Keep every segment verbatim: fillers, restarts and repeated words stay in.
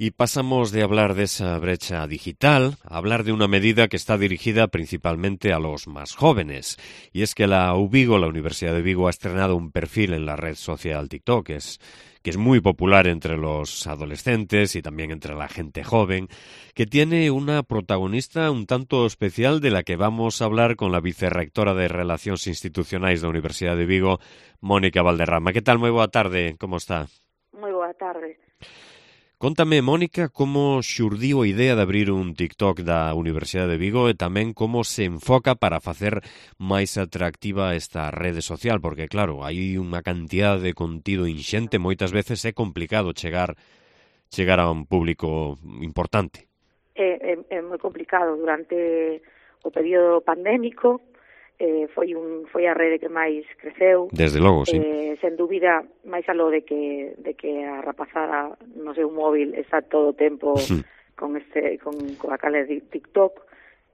Y pasamos de hablar de esa brecha digital a hablar de una medida que está dirigida principalmente a los más jóvenes. Y es que la U Vigo, la Universidad de Vigo, ha estrenado un perfil en la red social TikTok, que es, que es muy popular entre los adolescentes y también entre la gente joven, que tiene una protagonista un tanto especial de la que vamos a hablar con la vicerrectora de Relacións Institucionais da Universidade de Vigo, Mónica Valderrama. Que tal? Moi boa tarde, como está? Moi boa tarde. Contame, Mónica, como xurdiu a idea de abrir un TikTok da Universidade de Vigo e tamén como se enfoca para facer máis atractiva esta rede social, porque, claro, hai unha cantidad de contido inxente, moitas veces é complicado chegar chegar a un público importante. É, é, é moi complicado. Durante o período pandémico eh, foi un foi a rede que máis creceu. Desde logo, sí. Eh, sen dúbida, máis aló de que de que a rapazada no seu móvil está todo o tempo con este con coa cale de TikTok,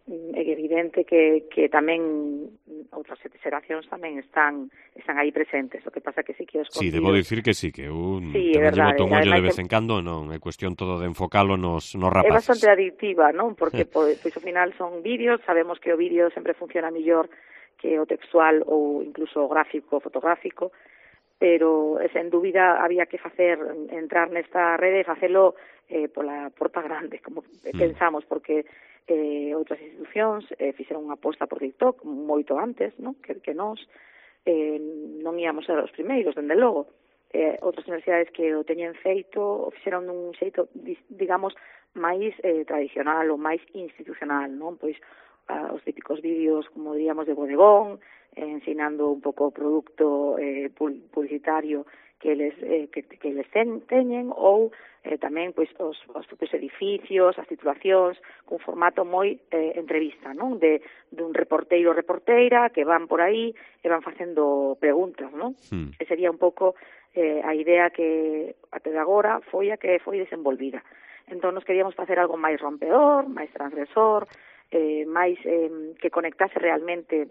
é evidente que que tamén outras xeracións tamén están están aí presentes. O que pasa que sí que os Sí, contidos... debo dicir que sí, que un sí, tamén lle boto un ollo de Ademais, vez en cando, non é cuestión todo de enfocalo nos, nos é rapaces. bastante adictiva, non? Porque pois, pois ao final son vídeos, sabemos que o vídeo sempre funciona mellor que o textual ou incluso o gráfico, fotográfico, pero sen dúbida había que facer entrar nesta rede e facelo eh, pola porta grande, como mm. pensamos, porque eh, outras institucións eh, fixeron unha aposta por TikTok moito antes, non? Que, que nós eh, non íamos ser os primeiros, dende logo. Eh, outras universidades que o teñen feito o fixeron dun xeito, digamos, máis eh, tradicional ou máis institucional, non? Pois a, os típicos vídeos, como diríamos, de bodegón, eh, ensinando un pouco o produto eh, publicitario que eles eh, que, que eles ten, teñen, ou eh, tamén pois os, os propios edificios, as titulacións, cun formato moi eh, entrevista, non? De dun reporteiro ou reporteira que van por aí e van facendo preguntas, non? Hmm. Que sería un pouco eh, a idea que até de agora foi a que foi desenvolvida. Entón, nos queríamos facer algo máis rompedor, máis transgresor, eh, máis eh, que conectase realmente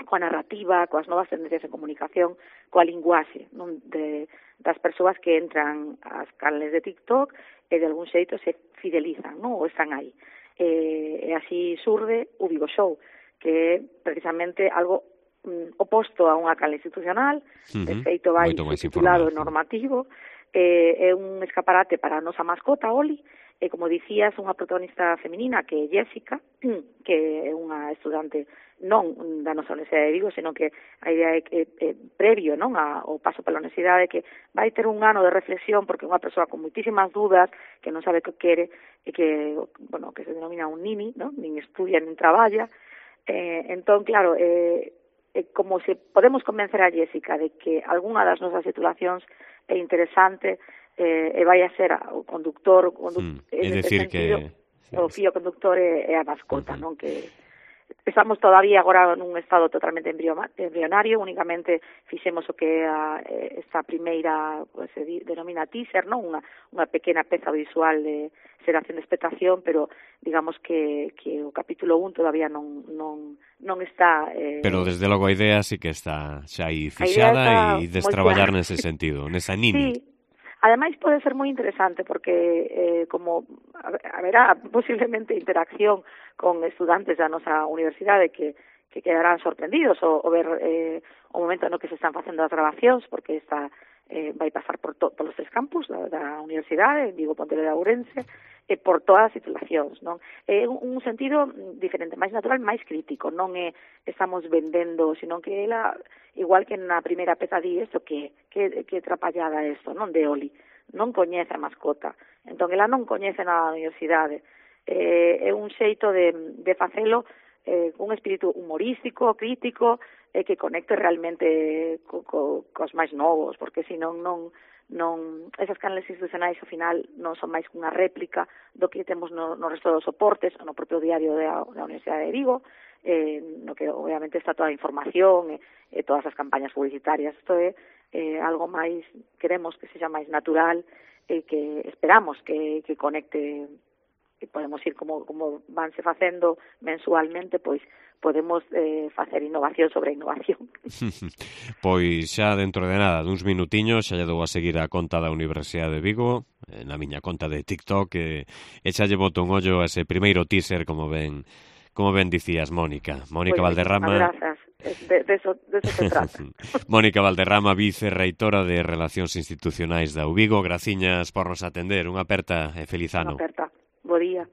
coa narrativa, coas novas tendencias de comunicación, coa linguaxe, non? De, das persoas que entran ás canles de TikTok e de algún xeito se fidelizan, non? Ou están aí. E, e así surde o Vigo Show, que é precisamente algo mm, oposto a unha canle institucional, uh-huh. De feito vai subtitulado e normativo, eh, é un escaparate para a nosa mascota, Oli, e, como dicías, unha protagonista feminina que é Jessica, que é unha estudante non da nosa Universidade de Vigo, senón que a idea é que é previo, non, ao paso pela universidade, que vai ter un ano de reflexión porque é unha persoa con moitísimas dudas, que non sabe o que quere, e que, bueno, que se denomina un nini, non? Nin estudia, nin traballa. Eh, entón, claro, eh, eh, como se podemos convencer a Jessica de que algunha das nosas titulacións é interesante, eh, e vai a ser o conductor, o conductor hmm, é decir sentido, que o fío conductor é, é a mascota, uh-huh. Non? Que estamos todavía agora nun estado totalmente embrionario, únicamente fixemos o que a, esta primeira, pues, se denomina teaser, non? Unha, unha pequena peza visual de xeración de expectación, pero digamos que, que o capítulo un todavía non, non, non está... Eh, pero desde logo a idea sí que está xa aí fixada e destraballar nese sentido, nesa nini. Sí. Ademais, pode ser moi interesante porque eh, como haberá posiblemente interacción con estudantes da nosa universidade que, que quedarán sorprendidos o, o ver eh, o momento no que se están facendo as grabacións, porque esta eh, vai pasar por to, polos tres campus da, da universidade, Vigo, Pontevedra, Ourense, e por todas as titulacións, non? É un, un sentido diferente, máis natural, máis crítico, non é estamos vendendo, sino que ela, igual que na primeira peza di isto, que, que, que trapallada isto, non? De Oli, non coñece a mascota, entón ela non coñece nada da universidade, eh, é un xeito de, de facelo eh, un espírito humorístico, crítico, e eh, que conecte realmente co, co, cos máis novos, porque senón non non esas canles institucionais ao final non son máis que unha réplica do que temos no, no resto dos soportes, no propio diario da, da Universidade de Vigo, eh, no que obviamente está toda a información e, e todas as campañas publicitarias. Isto é eh, algo máis, queremos que sexa máis natural e que esperamos que, que conecte e podemos ir como, como vanse facendo mensualmente, pois podemos eh, facer innovación sobre innovación. Pois xa dentro de nada, duns minutiños, xa lle dou a seguir a conta da Universidade de Vigo, na miña conta de TikTok, e, e xa lle boto un ollo a ese primeiro teaser, como ben como ben dicías, Mónica. Mónica Pues, Valderrama. Grazas, de, de, eso, de eso se trata. Mónica Valderrama, vicerreitora de Relacións Institucionais da U Vigo, graciñas por nos atender. Unha aperta e feliz ano. Unha aperta. Bo día.